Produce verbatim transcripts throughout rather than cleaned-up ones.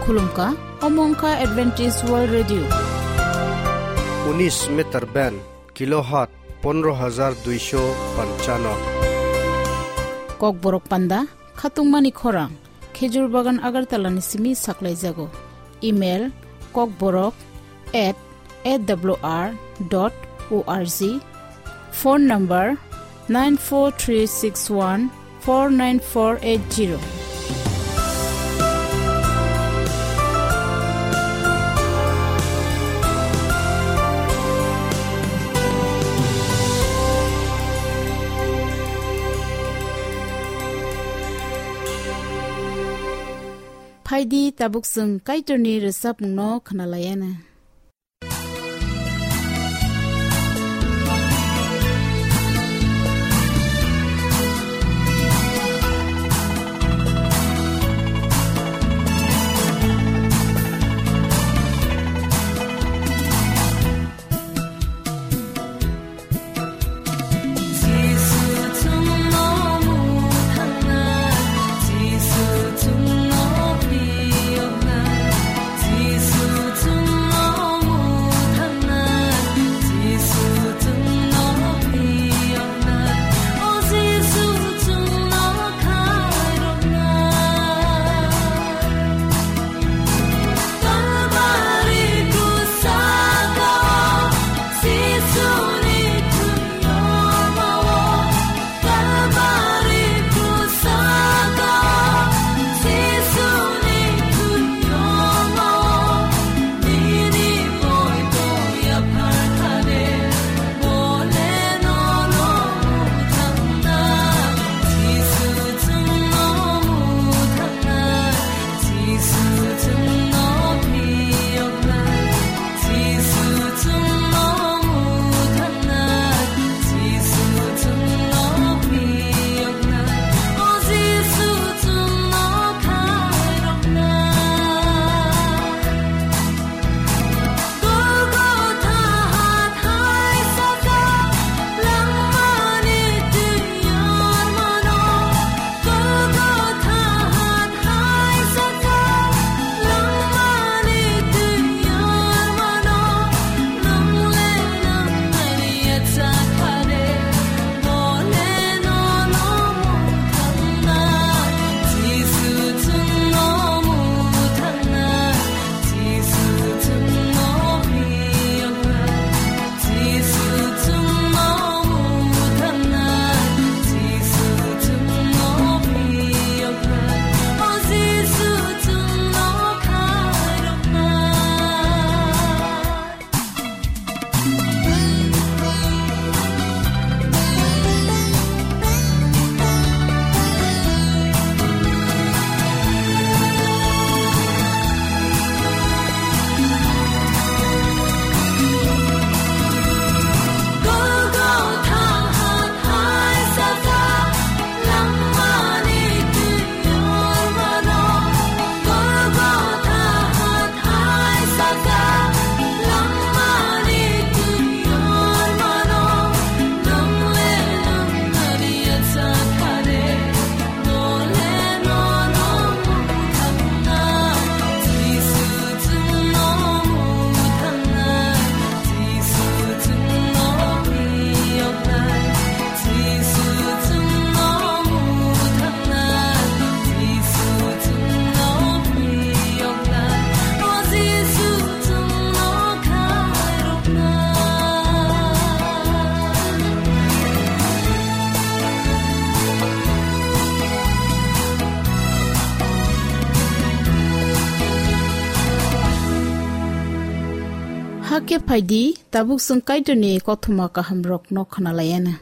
Khulumkha, omo wngkha Adventist World Radio. Unis meter band, kilohertz pondro hajar duisho panchano. Kokborok panda, khatungmani khorang, Khejur Bagan Agartala ni simi saklaijago. Email, kokborok at A W R dot O R G. Phone number, nine four three six one four nine four eight zero. Phaidi, tabuk chwng Kaitorni rwchapmungno khwnalaiana. Hakhe phaidi, tabuk chwng Kaitorni kothoma kahamrokno khwnalaiana.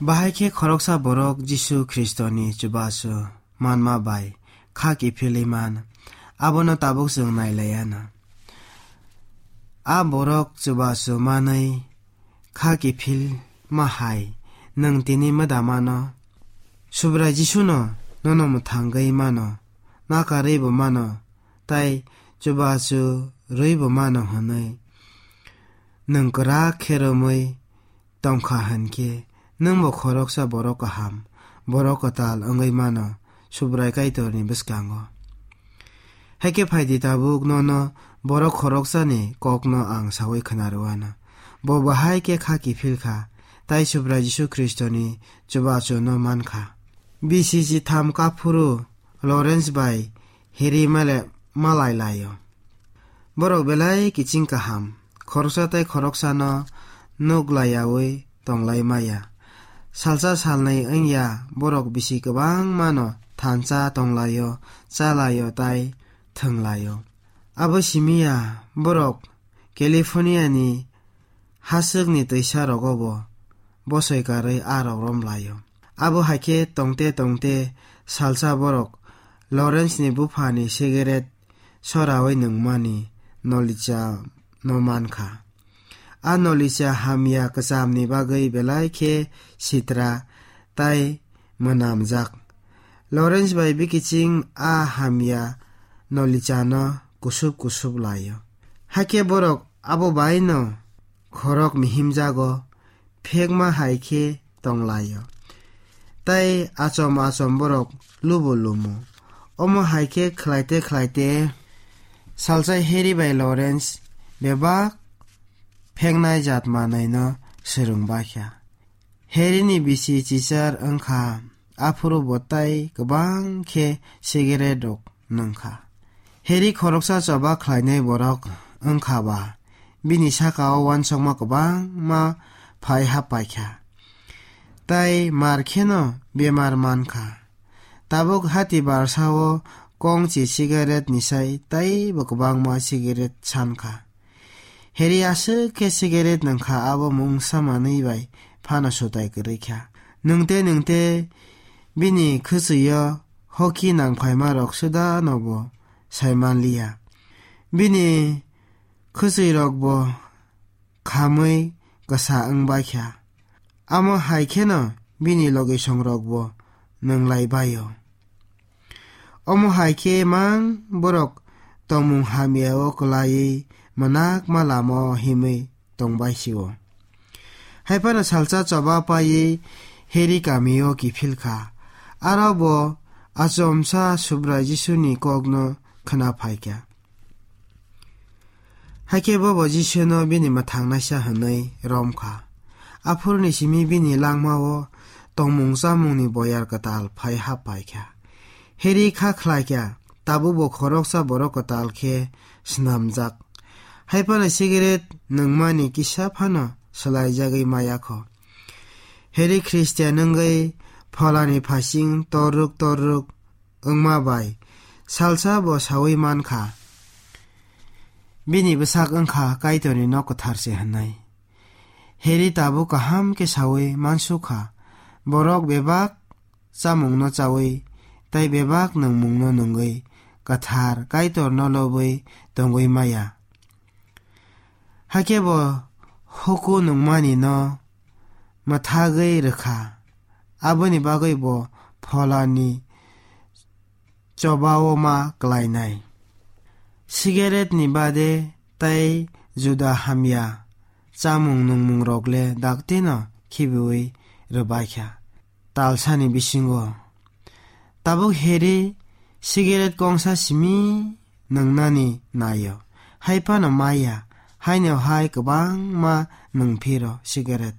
Bahai khe khoroksa borok Jisu Khristoni chubachu manma bai kha kiphilwi man, abono tabuk chwng nailaiana. A borok chubachu manwi kha kiphilma hai nwng tini mwdamano? Subrai Jisuno nono mwthangwi mano, nakarwi bo mano, tei chubachu rwi bo mano hwnwi nwng kwrak khe romwi tongkha hwn khe, nwngbo khoroksa borok kaham, borok kwtal wngwi mano Subrai Kaitorni bwskango. Hakhe phaidi tabuk nono borok khoroksani kokno ang saui khna rwano. Bo bahai khe kha kiphil kha, tai Subrai Jisu Khristoni chubachuno man kha. B C C tham kaphuru Lawrence bai Harry male-, malai laio. Borok belai kiching kaham, khoroksa tei khoroksano nuk laiyaui tonglai maya. Salsa salnwi wngya borok bisi kwbangmano thansa tonglaio, chalaio tai thwnglaio. Abo simiya borok California ni haswkni twisa rogobo bosoi karwi a rok rom laio. Abo hai khe tongte tongte salsa borok Lawrence ni bupha ni cigarette soraui nungmani nolicha no man kha. A nolicha hamya kwcham ni bagwi belai khe sitra tai mwnamjak. Lawrence bai bikiching a hamya nolicha no kusup kusup laio. Hakhe borok abo bai no khorok mihimjago, phekma hai khe tonglaio. Tai achom achom borok lubo lumo. Omo hai khe khlaite khlaite salsa Harry bai Lawrence bebak pheknai jat manwi no swrwng bakha. Harry ni bisi chichar wngkha, aphuru bo tai kwbang khe cigarette rok nwngkha. Harry khoroksa choba khlainai borok wngkha ba, bini saka o uansukma kwbangma phai hap paikha. Tai mar kheno bemar mankha. Tabuk hati barsa o kongchi cigarette ni sai taibo kwbangma cigarette sankha. Harry aswk khe cigarette nwngkha, abo mungsa manwi bai phano sutai kwrwi kha. Nwngte nwngte bini khwchwio hoki nangphaima rok suda nobo saimanliya. Bini khwchwirokbo khamwi kwsa wngbaikha. Amo hai kheno bini logisongrokbo nwnglai baio. Omo hai khe mang borok tongmung hamya o kwlaiwi mwnakma lama o himwi tongbai sio. Hai phano salsa choba paiwi Harry kami o kiphil kha. Aro bo achomsa Subrai Jisuni kokno khna phaikha. Hakhe bobo Jisuno bini mwthangnaisa hwnwi romkha. Aphuruni simi bini langmao tongmung chamungni boyar kwtal phai hap paikha. Harry kha khlaikha, tabukbo khoroksa borok kwtal khe snamjak. Hai phano cigarette nwngmani kisa phano swlaijagwi maya kho. Harry Christian wngwi pholani phasing torruk torruk wngma bai salsa bo saui mankha, bini bwsak wngkha Kaitorni nok kwthar se hwnwi. Harry tabuk kaham khe saui mansukha, borok bebak chamungno chaui tei bebak nwngmungno nungwi kwthar Kaitorno lobwi tongwi maya. Hakhe bo huku nungmani no mwthagwi rwkha, aboni bagwi bo pholani chobao ma klainai. Cigarette ni bade tei juda hamya chamung nungmung rok le daktino khibiui rwbaikha talsani bisingo. Tabuk Harry cigarette kongsa simi nwngnani naio. Hai phano maya, haino hai kwbangma nwng phiro cigarette.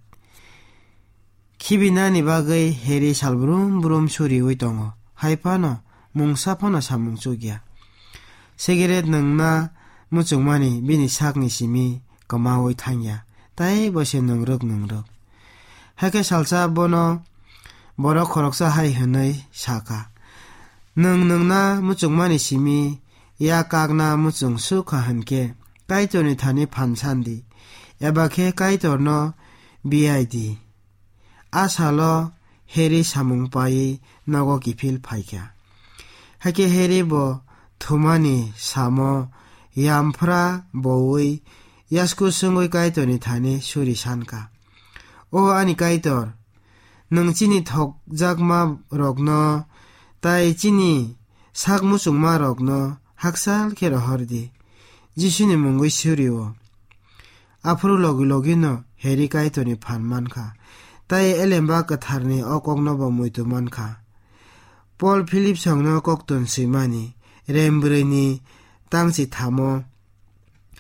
Khibinani bagwi Harry sal brum brum suriui tongo. Hai phano mungsa phano samung chukya. Cigarette nwngna muchungmani bini sakni simi kwmaui thangya. Tai bo se nwngrwk nwngrwk. Hakhe salsa bono borok khoroksa hai hwnwi sakha, "Nwng nwngna muchungmani simi ya kakna muchung sukha hwnkhe Kaitorni thani phan sandi, eba khe Kaitorno biyai di." A salo Harry samung paiwi nogo kiphil phaikha. Hakhe Harry bo thumani samo yamphra boui yasku swngwi Kaitorni thani suri sankha, "O ani Kaitor, nwng chini thokjakma rokno tai chini sak muchungma rokno hakchal khe rohor di." Jisuni mungwi suri-o. Aphuru logi logino Heri Kaitorni phan mankha, tei Elemba Kwtharni o kokno bo muitu mankha. Pol Philip songno koktun swimani rem brwini tangchi thamo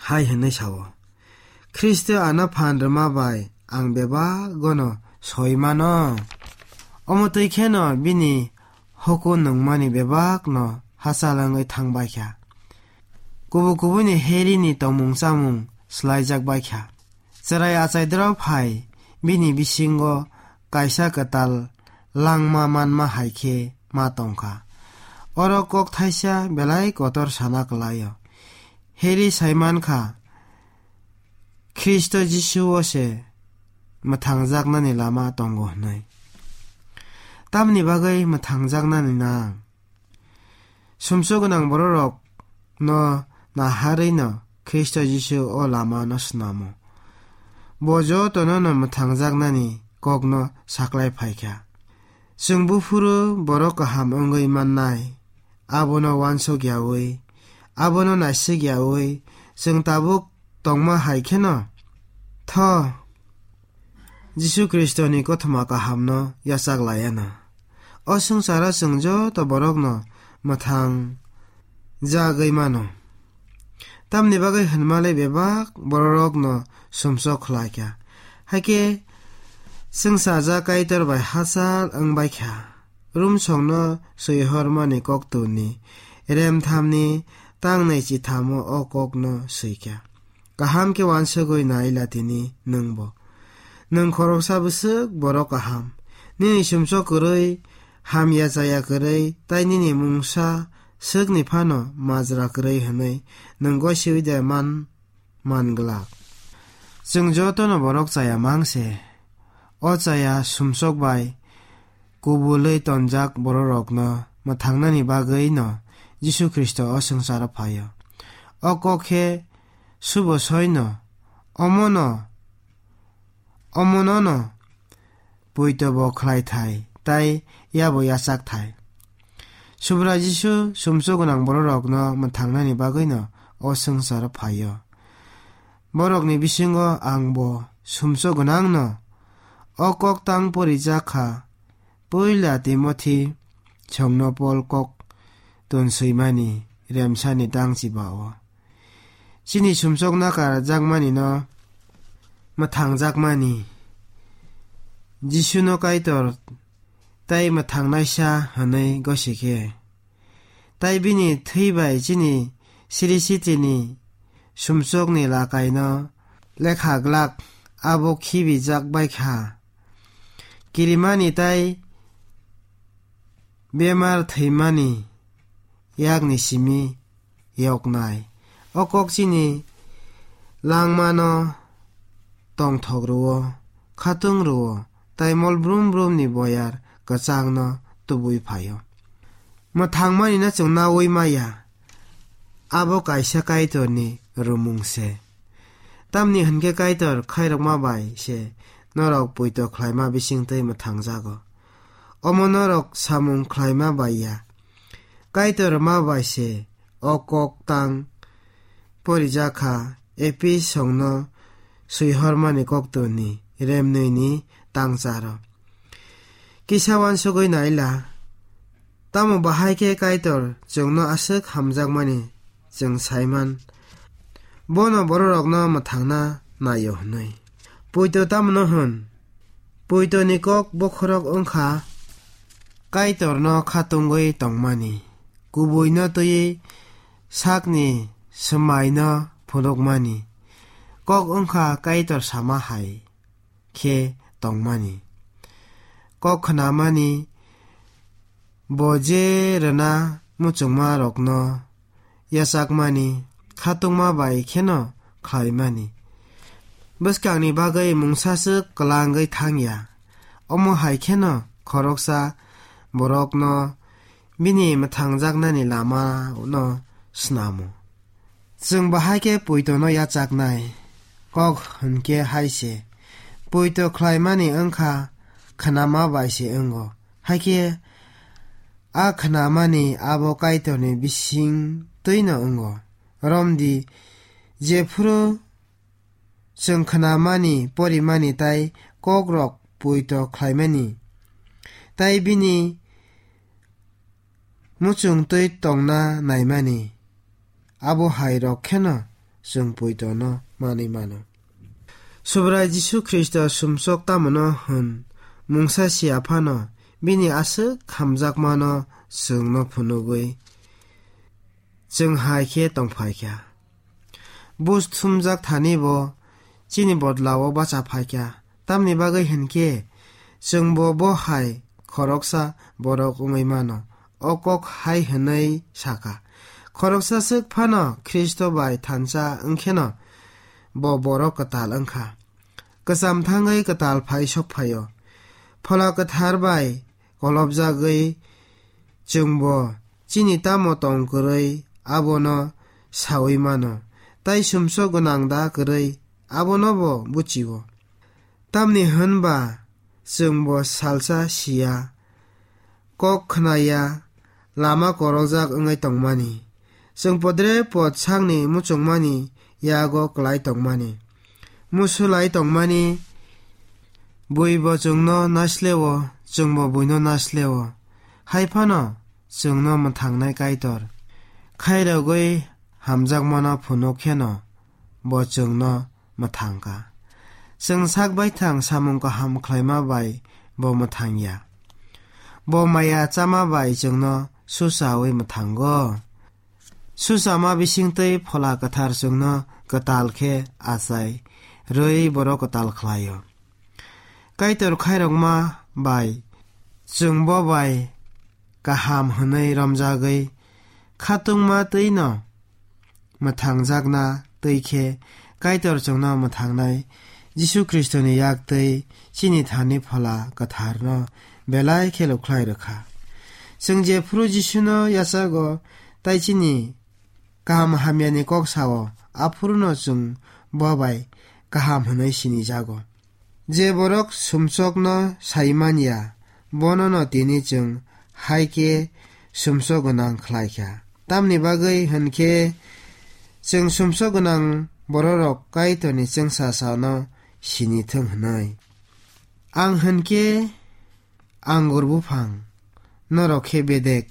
hai hwnwi sao, "Khristo ano phan rwma bai ang bebak gono soi mano." Omo twi kheno bini huku nungmani bebakno hachal wngwi thang bai kha. Kubu kubuni Herini tongmung chamung swlaijak bai kha. Chwrai achai drop hai bini bisingo kaisa kwtal langma manma hai khe ma tong kha. Oro kok thaisa belai kotor sana kwlaio. Heri sai man kha, Khristo Jisu-o se mwthangjaknani lama tongo hwnwi. Tamni bagwi mwthangjaknani nang? Sumsok gwnang bororokno naharwino Khristo Jisu o lamano snamo. Bo jotono'-no mwthangjaknani kokno saklai phai kha. Chwng buphuru borok kaham wngwi mannai, abono uansuk yaui, abono naisik yaui chwng tabuk tongma hai kheno tho Jisu Khristoni kothoma kahamno yachak laiya na. O swngcharo chwng joto borokno mwthang jagwi mano. Tamni bagwi hwnmale bebak bororokno sumsok khlai kha. Hakhe swngchajak Kaitor bai hachal wng bai kha. Rumsokno swihormani koktwni remthamni tangnai chithamo o kokno swi kha. Kaham khe uansugwi nai la tini nwngbo. Nwng khoroksa bwswk borok kaham. Nini sumsok kwrwi, hamya chaya kwrwi, tei nini mungsa swkni phano majra kwrwi hwnwi nwng gosiui de man, man glak. Chwng jotono borok chaya mang se. O chaya sumsok bai kubulwi tonjak bororokno mwthangnani bagwino Jisu Khristo o swngcharo phaio. O kok khe subo soino, omono, omonono poito bo khlai thai, tai yabo yachak thai. Subrai Jisu sumsok gwnang bororokno mwthangnani bagwino o swngcharo phaio. Borokni bisingo ang bo sumsok gwnangno o kok tang porijak kha, Puila Timothi songno Pol kok tonswimani remsani tangchi ba-o. Chini sumsokna karjakmanino mwthangjakmani Jisuno Kaitor tei mwthangnaisa hwnwi gosi khe, tai bini thwi bai chini siri sitini sumsokni lakaino lekha glak, abo khibijak bai kha. Kirimani tai bemar thwimani yakni simi yoknai. O kok chini langmano tongthok rwo, khatung rwo, tai mol brum brumni boyar kwchangno tubui phaio. Mwthangmani no chwng naui maya, abo kaisa Kaitorni rumung se. Tamni hwn khe Kaitor khairokma bai se norok poito khlaima bisingtwi mwthangjago. Omo norok samung khlaima bai ya. Kaitor ma bai se o kok tang porijak kha, Episongno swihormani koktwni remnwini tangcharo. Kisa uansugwi naila, tamo bahai khe Kaitor chwngno aswk hamjakmani chwng saiman, bono bororokno mwthangna naio hwnwi. Poito tamno hwn? Poitoni kok bokhorok wngkha Kaitorno khatungwi tongmani, kubuino twiwi sakni swmaino phunukmani. Kok wngkha Kaitor sama hai khe tongmani. Kok khnamani, bo je rwna muchungmarokno yachakmani, khatungma bai kheno khlaimani. Bwskangni bagwi mungsaswk kwlangwi thangya. Omo hai kheno khoroksa borokno bini mwthangjaknani lamano snamo. Chwng bahai khe poitono yachaknai kok hwn khe hai se, poito khlaimani wngkha khnama bai se wngo. Hai khe a khnamani abo Kaitorni bising twino wngo. Romdi, jephuru chwng khnamani, porimani tei kokrok poito khlaimani, tei bini muchungtwi tongna naimani, abo hai rok kheno chwng poitono manwi mano. Subrai Jisu Khristo sumsok tamono hwn mungsa sia phano bini aswk hamjakmano chwngno phunugwi chwng hai khe tongphai kha. Buj thumjak thani bo chini bodlao bacha phai kha. Tamni bagwi hwn khe chwngbo bo hai khoroksa borok wngwi mano. O kok hai hwnwi sakha, khoroksa swk phano Khristo bai thansa wngkheno bo borok kwtal wngkha. Kwcham thangwi kwtal phai sok phaio. Phola Kwthar bai kolobjagwi chwngbo chini tamo tong kwrwi abono saui mano, tei sumsok gwnang da kwrwi abonobo buchio. Tamni hwn ba chwngbo salsa siya, kok khnaya, lama korojak wngwi tongmani. Chwng podre pod sakni muchungmani yago klai tongmani. Musulai tongmani buibo chwngno naisle-o, chwngbo buino naisle-o. Hai phano chwngno mwthangnai Kaitor khairogwi hamjakmano phunuk kheno bo chwngno mwthang kha. Chwng sak baithang samung kaham khlaima bai bo mwthang ya. Bo maya chama bai chwngno susaui mwthango. Suchama bisingtwi Phola Kwthar chwngno kwtal khe achai rwi borok kwtal khlaio. Kaitor khairokma bai chwng bo bai kaham hwnwi romjagwi khatungma twino mwthangjakna twi khe Kaitor chwngno mwthangnai Jisu Khristoni yak twi chini thani Phola Kwtharno belai khe lukhlai rwkha. Chwng jephuru Jisuno yachago tai chini kaham hamyani kok sao, aphuruno chwng bo bai kaham hwnwi sinijago. Je borok sumsokno sai man ya, bonono tini chwng hai khe sumsok gwnang khlai kha. Tamni bagwi hwn khe chwng sumsok gwnang bororok Kaitorni chwngsa sano sini thung hwnwi. Ang hwn khe angur buphang, norok khe bedek.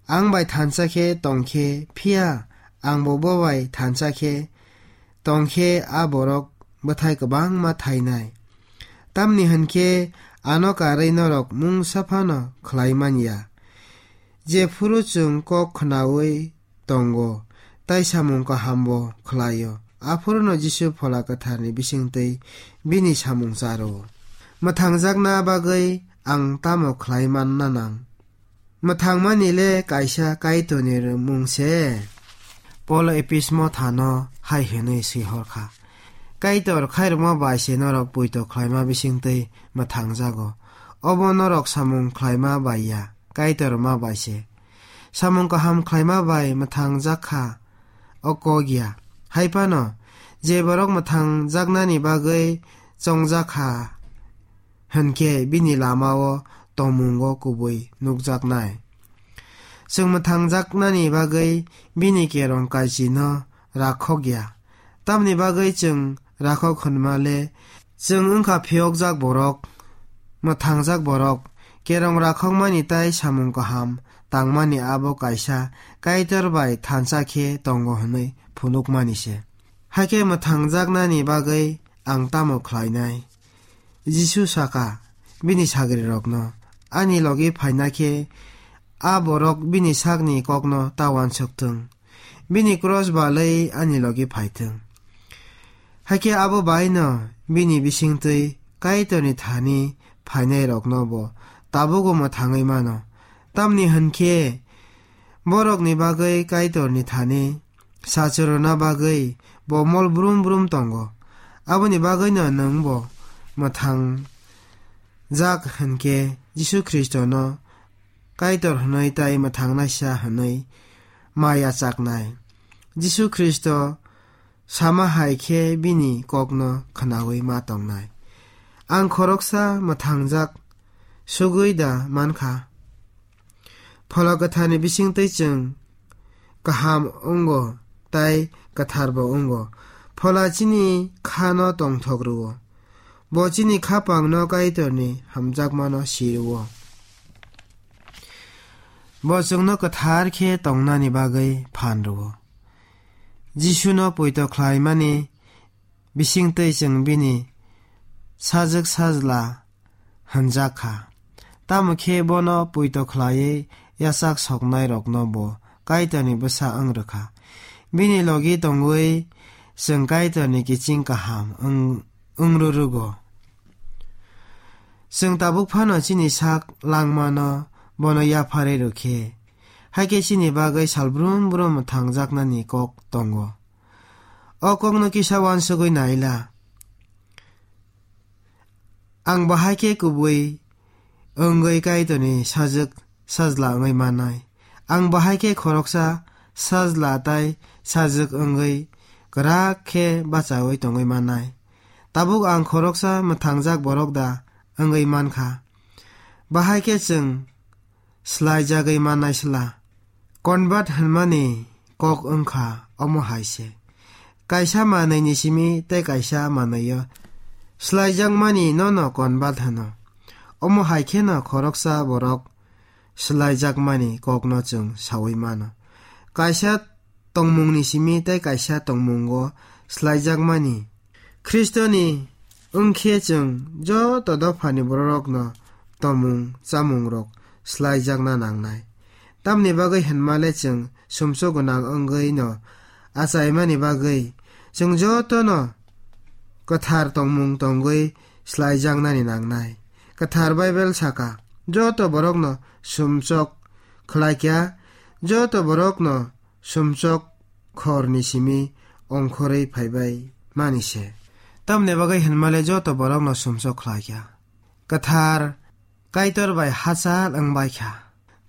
Ang bai thansa khe tong khe, phiya angbo bo bai thansa khe tong khe a borok bwthai kwbangma thainai. Tamni hwn khe ano karwi norok mungsa phano khlai man ya. Jephuru chwng kok khnaui tongo, tai samung kahambo khlaio. Aphuruno Jisu Phola Kwtharni bisingtwi bini samung charo. Mwthangjakna bagwi ang tamo khlai manna nang? Mwthangmani le kaisa Kaitorni mung se. Polo Epismo thano hai hwnwi swi hor kha, Kaitor khairokma bai se norok poito khlaima bisingtwi mwthangjago. Obo norok samung khlaima bai ya, Kaitor ma bai se. Samung kaham khlaima bai mwthangjak kha, o kok ya. Hai phano, je borok mwthangjaknani bagwi chongjak kha, hwn khe bini lama-o tongmungo kubui nukjaknai. Chwng mwthangjaknani bagwi bini kerong kaichino rakhok ya. Tamni bagwi chwng rakhok hwnma le, chwng wngkha phiyokjak borok, mwthangjak borok, kerong rakhokmani tai samung kaham tangmani abo kaisa Kaitor bai thansa khe tongo hwnwi phunukmani se. Hakhe mwthangjaknani bagwi ang tamo khlainai? Jisu saka bini sagrirokno, "Ani logi phaina khe a borok bini sakni kokno ta uansuk thung, bini kros balwi ani logi phai thung." Hakhe abo bai'-no bini bisingtwi Kaitorni thani phainairokno bo tabukbo mwthangwi mano. Tamni hwn khe borokni bagwi Kaitorni thani sachwrwna bagwi bo mol brum brum tongo. Aboni bagwino nwng bo mwthangjak hwn khe Jisu Khristono Kaitor hwnwi tai mwthangnaisa hwnwi ma yachaknai. Jisu Khristo sama hai khe bini kokno khnaui ma tongnai. Ang khoroksa mwthangjak sugwi da man kha? Phola Kwtharni bisingtwi chwng kaham wngo tai kwtharbo wngo. Phola chini khano tongthok rwo. Bo chini khapangno Kaitorni hamjakmano si rwo. Bo chwngno kwthar khe tongnani bagwi phan rwo. Jisuno poito khlaimani bisingtwi chwng bini sajwk sajla hwnjak kha. Tamo khe bono poito khlaiwi yachak soknairokno bo Kaitorni bwsa wng rwkha. Bini logi tongwi chwng Kaitorni kiching kaham wng, wng rwrwgo. Chwng tabuk phano chini sak langmano bono yapharwi rwkhe, hai khe chini bagwi sal brum brum thangjaknani kok tongo. O kokno kisa uansugwi naila. Ang bahai khe kubui wngwi Kaitorni sajwk sajla wngwi mannai. Ang bahai khe khoroksa sajla tai sajwk wngwi kwrak khe bachaui tongwi mannai. Tabuk ang khoroksa mwthangjak borok da wngwi mankha. Bahai khe chwng swlaijagwi mannai sla. Convert hwnmani kok wngkha omo hai se. Kaisa manwini simi tei kaisa manwio swlaijakmani nono convert hwno. Omo hai kheno khoroksa borok swlaijakmani kokno chwng saui mano. Kaisa tongmungni simi tei kaisa tongmungo swlaijakmani. Khristoni wngkhe chwng joto dophani bororokno tomung chamungrok swlaijakna nangnai. Tamni bagwi hwnmale chwng sumsok gwnang wngwino achaimani bagwi chwng jotono kwthar tongmung tongwi swlaijaknani nangnai. Kwthar Baibel saka, "Joto borokno sumsok khlaikha, joto borokno sumsok khorni simi ongkhorwi phaibai mani se." Tamni bagwi hwnmale joto borokno sumsok khlaikha. Kwthar Kaitor bai hachal wngbai kha.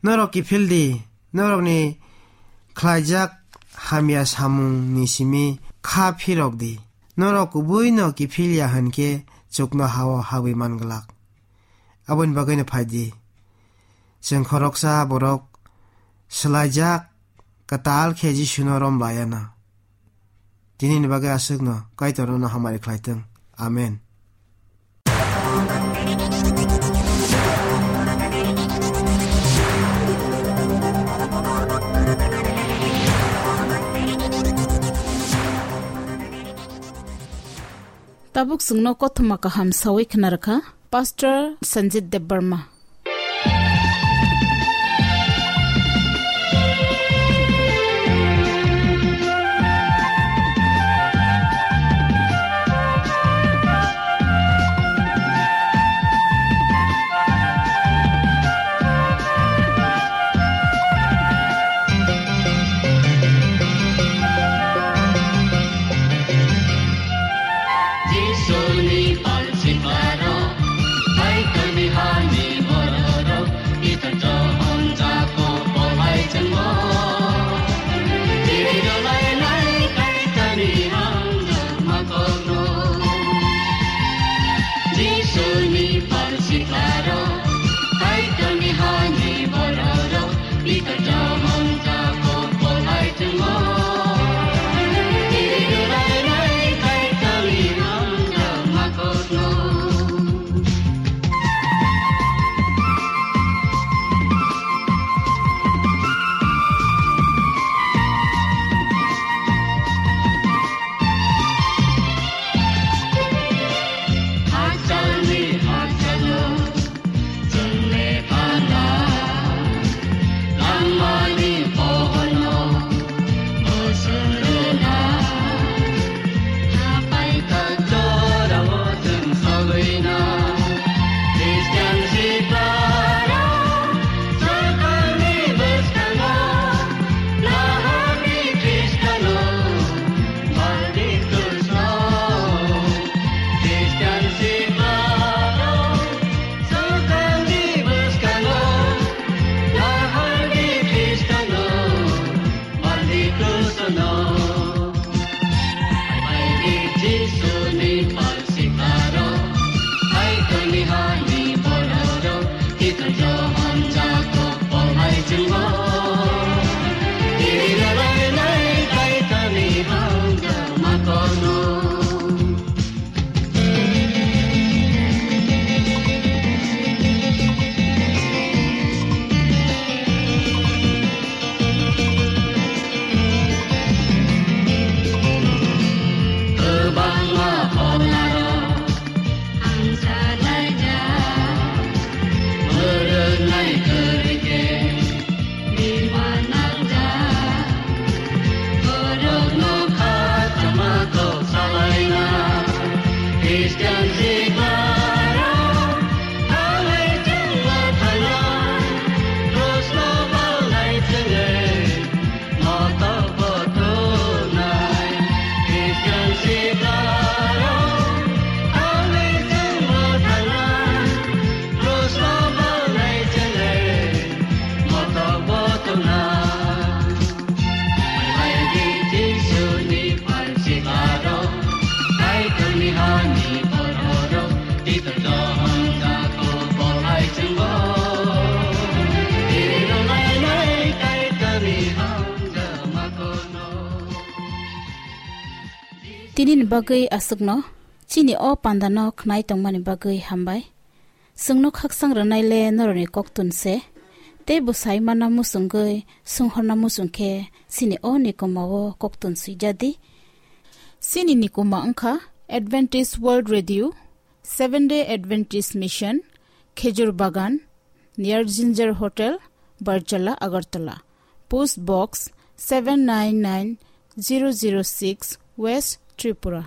Norok kiphil di, norokni khlaijak hamya samungni simi kha phirok di. Norok kubuino kiphil ya hwn khe chuknohao habwi man glak. Aboni bagwino phai di. Chwng khoroksa borok swlaijak kwtal khe Jisuno rom laiya na. Tinini bagwi aswkno Kaitor nono hamari khlai thung. Amen. Tabuk chwngno kothoma kaham sawi khna rwkha Pastor Sanjit Debbarma. Jisuni pal siklarok, Kaitorni hani bororok, Pitor Johon Jakob bo hai chwngmo. Chiri rwlainai Kaitorni hamjakma kokno. Jisuni pal siklarok, Kaitorni hani bororok, Pitor Johon Jakob bo hai chwngmo. Chiri rwlainai Kaitorni hamjakma Christian Sibaro, Hallelujah, Hallelujah, Cross lo balai chwngwi, motok bo thunai. Christian Sibaro, Hallelujah, Hallelujah, Cross lo balai chwngwi, motok bo thunai. Hai di Jisuni phaisik aro, Kaitorni hani bororok, Pitor Johon Jakob bo hai chwngbo. Tiri rwlainai Kaitorni hamjakma kono. Tinini bagwi aswkno, chini o pandano khnai tongmani bagwi hambai. Chwngno khakchang rwnai le norokni koktun se, tei bwsai mana muchungwi sunghorna muchung khe chini o nikuma o koktun swijadi. Chini nikuma wngkha Adventist World Radio, Seven Day Adventist Mission, Khejur Bagan, near Ginger Hotel, Barjala, Agartala. Post Box seven nine nine zero zero six, West Tripura.